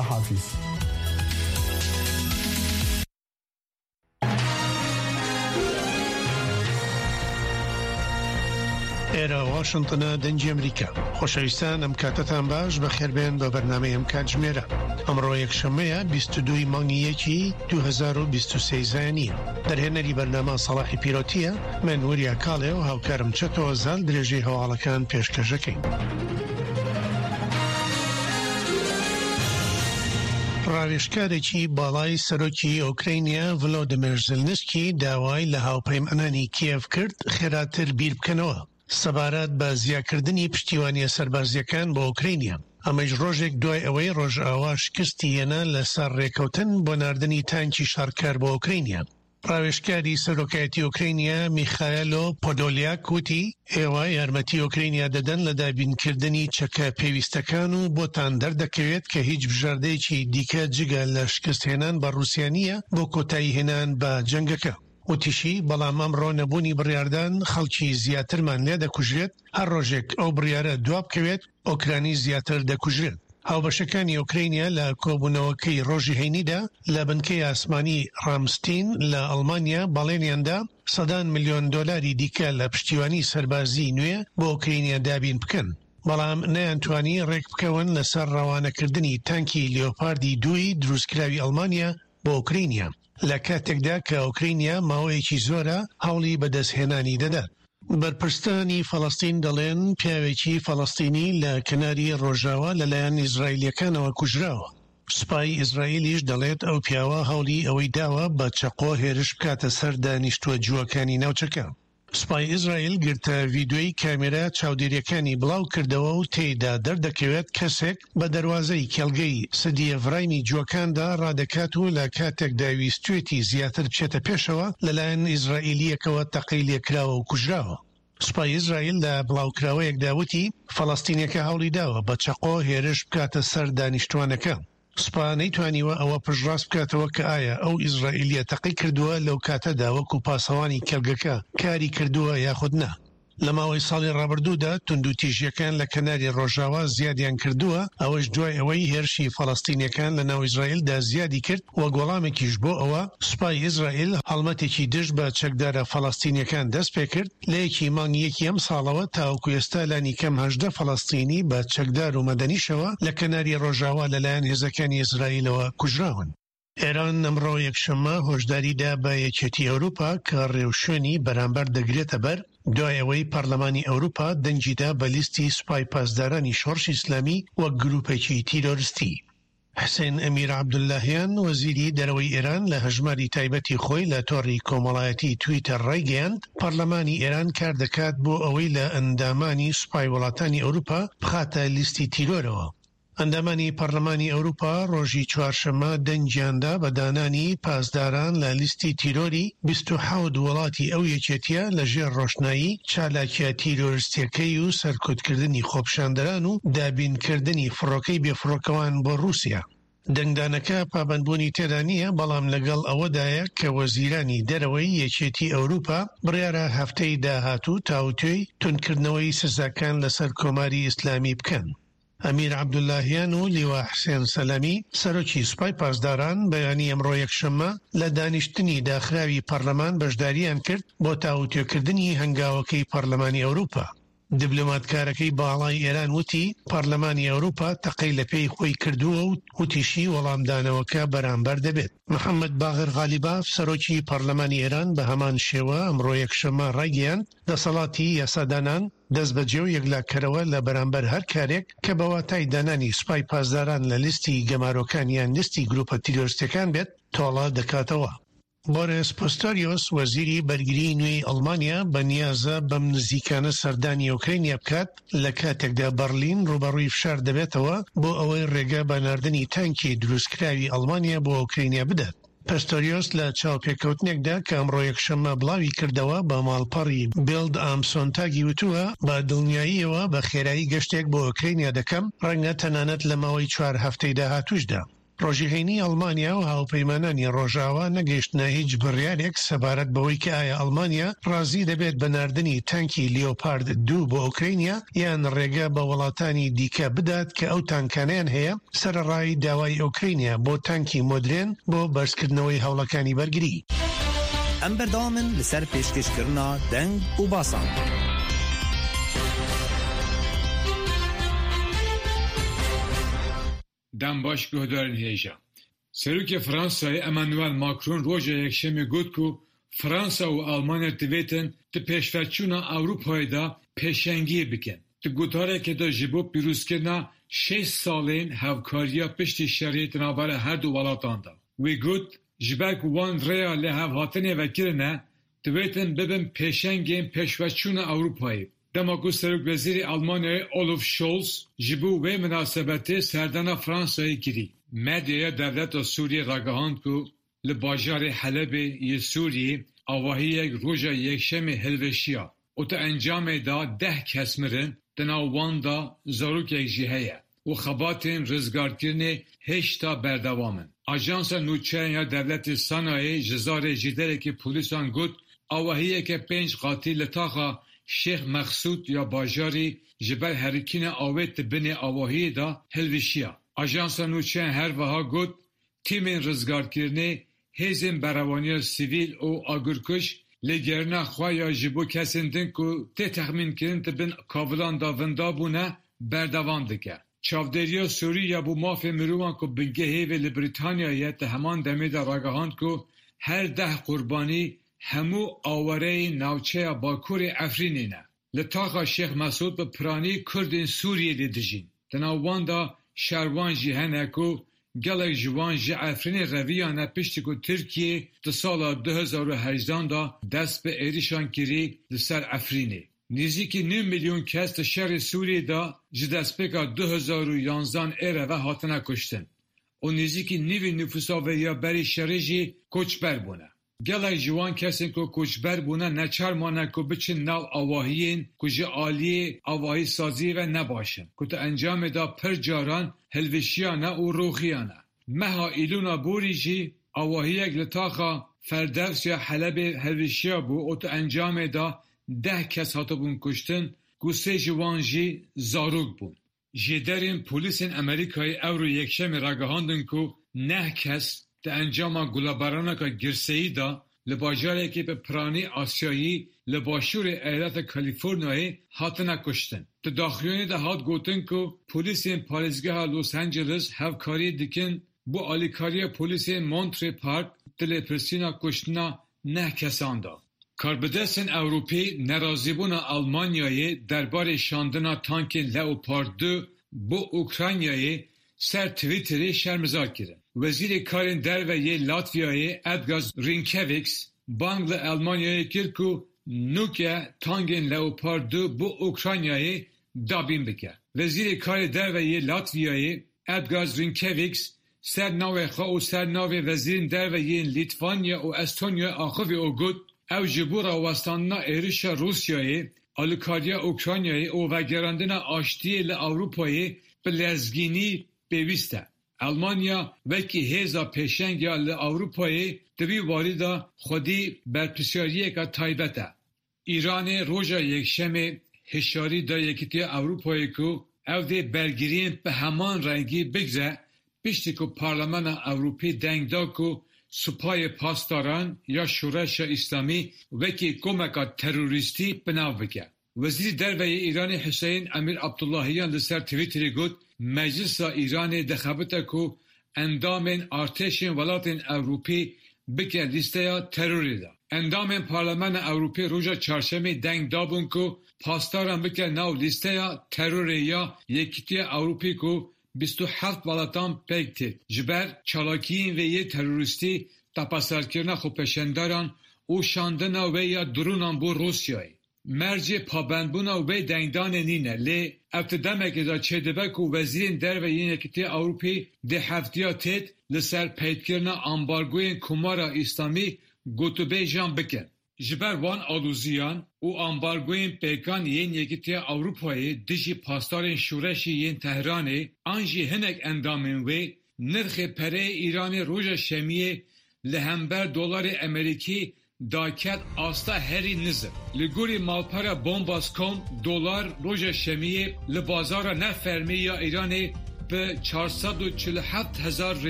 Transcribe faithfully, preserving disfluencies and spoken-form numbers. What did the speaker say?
حافیز. ئێرە واشنتنە، دەنگی ئەمریکا. خۆشەویستان ئەم کاتەتان باش، بەخێربێن بە بەرنامەی ئەم کاتژمێرە. ئەمڕۆ یەکشەممەیە بیست و دوو ی مانگی یەکی دوو هەزار و بیست و سێ زایینیە. دەرهێنەری بەرنامە سەڵاحی پیرۆتیە، من وریا کاڵێ و هاوکارم چەتۆ زال درێژەی هەواڵەکان پێشکەشەکەین. ڕاوێژکارێکی باڵای سەرۆکی ئۆکرینیا ڤلۆدیمیر زلنسکی داوای لە هاوپەیمانانی کیێڤ کرد خێراتر بیر بکەنەوە سەبارەت بە زیاکردنی پشتیوانیە سەربازیەکان بۆ ئۆکرینیا. ئەمەش ڕۆژێک دوای ئەوەی ڕۆژئاوا شکستی هێنا لەسەر ڕێکەوتن بۆ ناردنی تانکی شەڕکەر بۆ ئۆکرینیا. ڕاوێژکاری سەرۆکایەتی ئۆکرینیا میخایلۆ پۆدۆلیاک وتی ئێوە یارمەتی ئۆکرینیا دەدەن لە دابینکردنی چەکە پێویستەکان و بۆتان دەردەکەوێت کە هیچ بژاردەیەکی دیکە جگە لە شکستهێنان بە ڕووسیا نییە بۆ کۆتایی هێنان بە جەنگەکە. وتیشی بەڵام ئەمڕۆ نەبوونی بڕیاردان خەڵکی زیاترمان لێ دەکوژرێت، هەر ڕۆژێک ئەو بڕیارە دوا بکەوێت ئۆکرانی زیاتر دەکوژرێت. هاوبەشەکانی ئۆکرینیا لە کۆبوونەوەکەی ڕۆژی هەینیدا لە بنکەی ئاسمانی ڕامستین لە ئەڵمانیا بەڵێنیاندا سەدان ملیۆن دۆلاری دیکە لە پشتیوانی سەربازی نوێ بۆ ئۆکرینیا دابین بکەن، بەڵام نەیانتوانی ڕێک بکەون لەسەر ڕەوانەکردنی تانکی لیۆپاردی دووی دروستکراوی ئەڵمانیا بۆ ئۆکرینیا لە کاتێکدا کە ئۆکرینیا ماوەیەکی زۆرە هەوڵی بەدەستهێنانی دەدات. بەرپرسانی فەڵەستین دەڵێن پیاوێکی فەڵەستینی لە کەناری ڕۆژاوا لەلایەن ئیسرائیلیەکانەوە کوژراوە. سوپای ئیسرائیلیش دەڵێت ئەو پیاوە هەوڵی ئەوەی داوە بە چەقۆ هێرش بکاتە سەر دانیشتووە جووەکانی ناوچەکە. سوپای ئیسرائیل گرتە ڤیدیۆی کامێرا چاودێریەکانی بڵاو کردەوە و تێیدا دەردەکەوێت کەسێک بە دەروازەی کێڵگەی سدیەڤرایمی جووەکاندا ڕادەکات و لە کاتێکدا ویستوێتی زیاتر بچێتە پێشەوە لەلایەن ئیسرائیلیەکەوە تەقەی لێکراوە و کوژراوە. سوپای ئیسرائیل لە بڵاوکراوەیەکدا وتی فەڵەستینیەکە هەوڵی داوە بە چەقۆ هێرش بکاتە سەر دانیشتوانەکە. سوپا نەیتوانیوە ئەوە پشتڕاست بکاتەوە کە ئایا ئەو ئیسرائیلیە تەقەی کردووە لەو کاتەدا وەکو پاسەوانی کێڵگەکە کاری کردووە یاخود نا. لە ماوەی ساڵی ڕابردوودا توندوتیژیەکان لە کەناری ڕۆژاوا زیادیان کردووە، ئەوەش دوای ئەوەی هێرشی فەڵەستینیەکان لە ناو ئیسرائیلدا زیادی کرد، وەک وەڵامێکیش بۆ ئەوە سوپای ئیسرائیل هەڵمەتێکی دژ بە چەکدارە فەڵەستینیەکان دەست پێکرد لە یەکی مانگی یەکی ئەم ساڵەوە تاوەکو ئێستا لانیکەم هەژدە فەڵەستینی بە چەکدار و مەدەنیشەوە لە کەناری ڕۆژاوا لەلایەن هێزەکانی ئیسرائیلەوە کوژراون. ئێران ئەمڕۆ یەکشەممە هۆشداریدا بە یەکێتی ئەوروپا کە ڕێوشوێنی بەرامبەر دەگرێتە بەر دوای ئەوەی پەرلەمانی ئەوروپا دەنگیدا بە لیستی سوپای پاسدارانی شۆڕشی ئیسلامی وەک گروپێکی تیرۆریستی. حسێن ئەمیر عەبدوڵاهیان وەزیری دەرەوەی ئێران لە هەژماری تایبەتی خۆی لە تۆڕی کۆمەڵایەتی تویتەر ڕایگەیاند پەرلەمانی ئێران کار دەکات بۆ ئەوەی لە ئەندامانی سوپای وڵاتانی ئەوروپا بخاتە لیستی تیرۆرەوە. ئەندامانی پەرلەمانی ئەوروپا ڕۆژی چوارشەممە دەنگیاندا بە دانانی پاسداران لە لیستی تیرۆری بیست و حەوت وڵاتی ئەو یەکێتیە لە ژێر ڕۆشنایی چالاکیە تیرۆریستیەکەی و سەرکوتکردنی خۆپیشاندەران و دابینکردنی فڕۆکەی بێفڕۆکەوان بۆ ڕووسیا. دەنگدانەکە پابەندبوونی تێدا نییە، بەڵام لەگەڵ ئەوەدایە کە وەزیرانی دەرەوەی یەکێتی ئەوروپا بڕیارە هەفتەی داهاتوو تاوتوێی توندکردنەوەی سزاکان لەسەر کۆماری ئیسلامی بکەن. ئەمیر عەبدوڵاهیان و لیوا حسێن سەلامی سەرۆکی سوپای پاسداران بەیانی ئەمڕۆ یەکشەممە لە دانیشتنی داخراوی پەرلەمان بەشداریان کرد بۆ تاوتوێکردنی هەنگاوەکەی پەرلەمانی ئەوروپا. دیبلۆماتکارەکەی باڵای ئێران وتی پەرلەمانی ئەوروپا تەقەی لە پێی خۆی کردووە و وتیشی وەڵامدانەوەکە بەرامبەر دەبێت. محەممەد باغر غالیباف سەرۆکی پەرلەمانی ئێران بە هەمان شێوە ئەمڕۆ یەکشەممە ڕایگەیاند دەسەڵاتی یاسادانان دەست بەجێ و یەکلاکەرەوە لە بەرامبەر هەر کارێک کە بە واتای دانانی سوپای پاسداران لە لیستی گەمارۆکان یان لیستی گروپە تیرۆریستیەکان بێت تۆڵە دەکاتەوە. بۆریس پۆستۆریۆس وەزیری بەرگری نوێی ئەڵمانیا بەنیازە بەم نزیکانە سەردانی ئۆکرینیا بکات لە کاتێکدا بەرلین ڕووبەڕووی فشار دەبێتەوە بۆ ئەوەی ڕێگە بە ناردنی تانکی دروستکراوی ئەڵمانیا بۆ ئۆکرینیا بدات. پستۆریۆس لە چاوپێکەوتنێکدا کە ئەمڕۆ یەکشەممە بڵاوی کردەوە بە ماڵپەڕی بیلد ئام سۆنتاگی وتووە بە دڵنیاییەوە بە خێرایی گەشتێک بۆ ئۆکرینیا دەکەم، ڕەنگە تەنانەت لە ماوەی چوار هەفتەی داهاتووشدا. ڕۆژی هەینی ئەڵمانیا و هاوپەیمانانی ڕۆژاوا نەگەیشتنە هیچ بڕیارێک سەبارەت بەوەی کە ئایا ئەڵمانیا ڕازی دەبێت بە ناردنی تانکی لیۆپارد دوو بۆ ئۆکرینیا یان ڕێگە بە وڵاتانی دیکە بدات کە ئەو تانکانیان هەیە، سەرەڕای داوای ئۆکرینیا بۆ تانکی مۆدرێن بۆ بەرزکردنەوەی هەوڵەکانی بەرگری. ئەم بەردەوامن لەسەر پێشکەشکردنا دەنگ و باسان. دەم باش guhdarên hêja. Serokê Fransayê Emmanuel Macron roja Yekşemê got ku Fransa û Almanya divêtin di pêşveçûna Ewropayê de pêşengiyê bikin. Di gotarekê de ji bo pîrozkirina şêst salên hevkariya piştî şerê di navbera her du welatan de. Wî got ji ber ku wan rêya lihevhatinê vekirine divêtin bibin pêşengên pêşveçûna Ewropayê. Dema ku Serokwezîrê Almanyayê Olaf Scholz ji bo wê minasebetê serdana Fransayê kirî. Medyaya dewleta Sûriyê ragihand ku li bajarê Helebê yê Sûriyê avahiyek roja Yekşemê hilweşiya û di encamê de deh kes mirin, di nav wan de zarokek jî heye û xebatên rizgarkirinê hêjta berdewam in. Ajansa Nûçeyan ya Dewletê Sanayê ji zarê jîderekî polîsan got avahiyeke pênc qatî li taxa Şêx Meqsûd ya bajarî ji ber herikîna avê di binê avahiyê de hilweşiya. Ajansa Nûçeyan her wiha got tîmên rizgarkirinê hêzên berevaniya sivîl û agirkuj lêgerîna xwe ya ji bo kesên din ku tê texmînkirin di bin kavilan de winda bûne berdewam dike. Çavdêriya Sûrî ya bo mafê mirovan ku bingehê wê li Brîtanyayê di heman demê de ragihand ku her deh qurbanî hemû awareyên navçeya Bakurê Efrînê ne. Li taxa Şêx Mesûd bi piranî Kurdên Sûriyê lê dijîn. Di nav wan de şervan jî hene ku gelek ji wan ji Efrînê reviyane piştî ku Tirkiye di sala du hezar û hejdan de dest bi êrişan kirî li ser Efrînê. Nêzîkî nîv milyon kes di şerê Sûriyê de ji destpêka du hezar û yanzdan êre ve hatine kuştin û nêzîkî nîvê nüfusa wê ya berî şerê jî koçber bûne. Gelek ji wan kesên ku koçber bûne neçar mane ku biçin nav avahiyên ku ji aliyê avahîsaziyê ve nebaş in ku di encamê de pir caran hilweşiyane û rûxiyane. Meha Îlona borî jî avahiyek li taxa Ferdevs ya Helebê hilweşiya bû û di encamê de deh kes hatibûn kuştin ku sê ji wan jî zarok bûn. Jêderên polîsên Amerîkayê ewro Yekşemê ragihandin ku neh kes di encama gulebaraneke girseyî de li bajarekî bi piranî Asyayî li başûrê Eyaleta Kalîforniyayê hatine kuştin. Di daxuyaniyê de hat gotin ku polîsên parêzgeha Los Angeles hevkarî dikin bo alîkariya polîsên Monterey Park di lêpirsîna kuştina neh kesan de. Karbidestên Ewropî nerazîbûna Almanyayê derbarê şandina tankên Leopard du bo Ukraynayê ser Twitterê şermezar kirin. Wezîrê Karên Derve yê Latvyayê Edgars Rinkevics bang li Almanyayê kir ku nûke tankên Leopard du bo Ukraynayê dabîn bike. Wezîrê Karê Derve yê Latvyayê Edgars Rinkevics ser navê xwe û ser navê wezîrên derve yên Lîtvanya û Estonyayê axivî û got ew ji bo rawestandina êrişa Rûsyayê, alîkariya Ukraynayê û vegerandina aştiyê li Ewropayê bi lezgînî pêwîst e. Almanya wekî hêza pêşeng ya li Ewropayê di vî warî de xwedî berpirsyariyeke taybet e. Îranê roja Yekşemê hişyarî da Yekîtiya Ewropayê ku ew dê bergiriyên bi heman rengî bigire piştî ku Parlamena Ewropî deng da ku Supayê Pasdaran ya Şoreşa Îslamî wekî komeke terorîstî binav bike. Wezîrê Derve yê Îranê Hüseyin Emîr Abdullahiyan li ser Twitterê got Meclisa Îranê dixebite ku endamên artêşên welatên Ewropî bike lîsteya terorê de. Endamên Parlamena Ewropî roja Çarşemê deng dabûn ku pasdaran bike nav lîsteya terorê ya Yekîtiya Ewropî ku bîst û heft welatan pêk tê. Ji ber çalakiyên wê yê terorîstî tepeserkirina xwepêşanderan û şandina wê ya dronan bo Rûsyayê. Mercê pabendbûna wê dengdanê nîne lê ev di demekê de çêdibe ku wezîrên derve yên Yekîtiya Ewropî dê hefteya têt li ser peydkirina ambargoyên Komara Îslamî gotûbêjan bikin. Ji ber wan aloziyan û ambargoyên pêkan yên Yekîtiya Ewropayê dijî pasdarên şoreşê yên Tehranê an jî hinek endamên wê نرخی پەرەی ئیرانê roja şemiyê li hember dolarê Amerîkî daket asta herî nizm. Li gorî malpera Bombas.com dolar roja şemiyê li bazara nefermî ya Îranê bi çar sed û çil û heft hezar